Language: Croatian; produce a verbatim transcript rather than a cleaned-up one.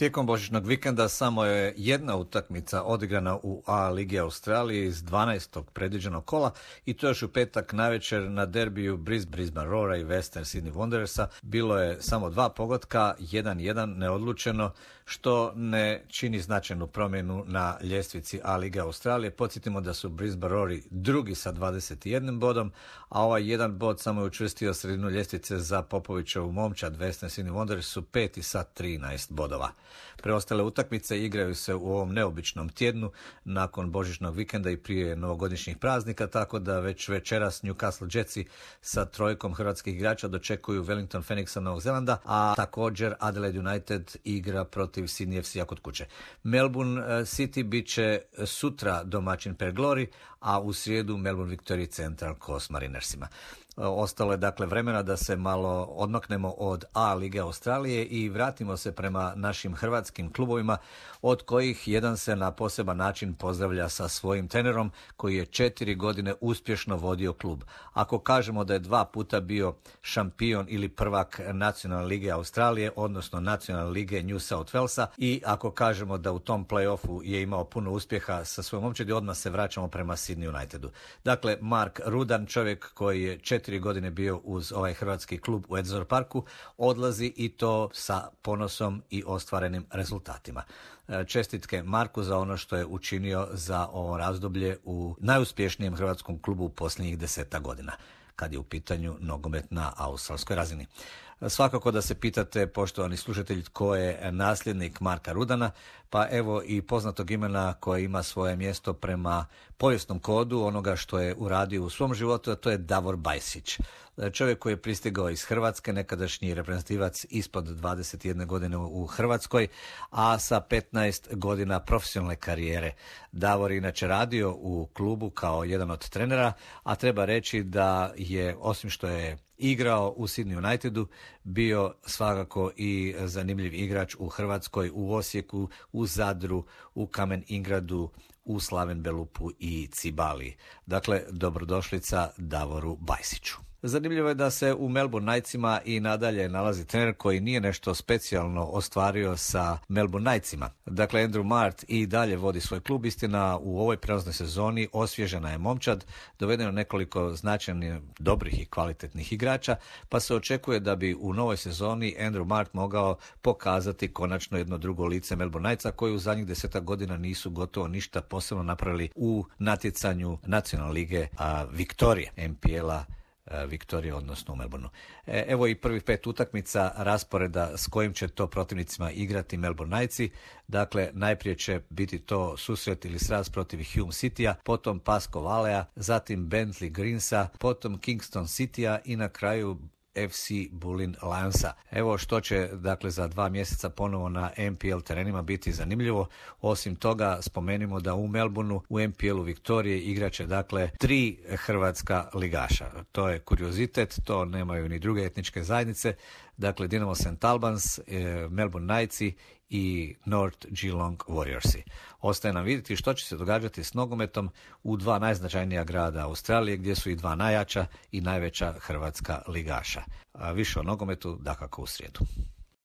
Tijekom božićnog vikenda samo je jedna utakmica odigrana u A ligi Australije iz dvanaestog predviđenog kola i to još u petak navečer na derbiju Brisbane Roara i Western Sydney Wanderersa. Bilo je samo dva pogotka, jedan jedan neodlučeno, što ne čini značajnu promjenu na ljestvici A lige Australije. Podsjetimo da su Brisbane Roari drugi sa dvadeset jedan bodom, a ovaj jedan bod samo je učvrstio sredinu ljestvice za Popovićevu momčad Western Sydney Wanderers su peti sa trinaest bodova. Preostale utakmice igraju se u ovom neobičnom tjednu nakon božićnog vikenda i prije novogodišnjih praznika, tako da već večeras Newcastle Jetsi sa trojkom hrvatskih igrača dočekuju Wellington Phoenixa Novog Zelanda, a također Adelaide United igra protiv Sydney F C-a kod kuće. Melbourne City bit će sutra domaćin Perth Glory, a u srijedu Melbourne Victory Central Coast Marinersima. Ostalo je dakle vremena da se malo odmaknemo od A lige Australije i vratimo se prema našim hrvatskim klubovima, od kojih jedan se na poseban način pozdravlja sa svojim trenerom koji je četiri godine uspješno vodio klub. Ako kažemo da je dva puta bio šampion ili prvak Nacionalne lige Australije, odnosno Nacionalne lige New South Walesa, i ako kažemo da u tom play-offu je imao puno uspjeha sa svojom momčadi, odmah se vraćamo prema Sydney Unitedu. Dakle, Mark Rudan, čovjek koji je četiri godine bio uz ovaj hrvatski klub u Edzor Parku, odlazi i to sa ponosom i ostvarenim rezultatima. Čestitke Marku za ono što je učinio za ovo razdoblje u najuspješnijem hrvatskom klubu u posljednjih deseta godina, kad je u pitanju nogomet na australskoj razini. Svakako da se pitate, poštovani slušatelji, tko je nasljednik Marka Rudana, pa evo i poznatog imena koje ima svoje mjesto prema povijesnom kodu onoga što je uradio u svom životu, a to je Davor Bajsić. Čovjek koji je pristigao iz Hrvatske, nekadašnji reprezentativac ispod dvadeset jedne godine u Hrvatskoj, a sa petnaest godina profesionalne karijere. Davor je inače radio u klubu kao jedan od trenera, a treba reći da je, osim što je igrao u Sydney Unitedu, bio svakako i zanimljiv igrač u Hrvatskoj, u Osijeku, u Zadru, u Kamen Ingradu, u Slaven Belupu i Cibali. Dakle, dobrodošlica Davoru Bajsiću. Zanimljivo je da se u Melbourne Knightsima i nadalje nalazi trener koji nije nešto specijalno ostvario sa Melbourne Knightsima. Dakle, Andrew Mart i dalje vodi svoj klub. Istina, u ovoj prelaznoj sezoni osvježena je momčad, dovedeno nekoliko značajnih, dobrih i kvalitetnih igrača, pa se očekuje da bi u novoj sezoni Andrew Mart mogao pokazati konačno jedno drugo lice Melbourne Knightsa, koji u zadnjih desetak godina nisu gotovo ništa posebno napravili u natjecanju Nacionalne lige a, Viktorije, M P L-a Viktorije, odnosno u Melbourneu. Evo i prvih pet utakmica rasporeda s kojim će to protivnicima igrati Melbourne Knightsi. Dakle, najprije će biti to susret ili sraz protiv Hume Citya, potom Pasco Valea, zatim Bentley Greensa, potom Kingston Citya i na kraju F C Bulleen Lionsa. Evo što će dakle za dva mjeseca ponovo na M P L terenima biti zanimljivo. Osim toga, spomenimo da u Melbourneu u M P L-u Viktorije igraće dakle tri hrvatska ligaša. To je kuriozitet, to nemaju ni druge etničke zajednice. Dakle, Dinamo Saint Albans, Melbourne Knightsi i North Geelong Warriorsi. Ostaje nam vidjeti što će se događati s nogometom u dva najznačajnija grada Australije, gdje su i dva najjača i najveća hrvatska ligaša. A više o nogometu dakako u srijedu.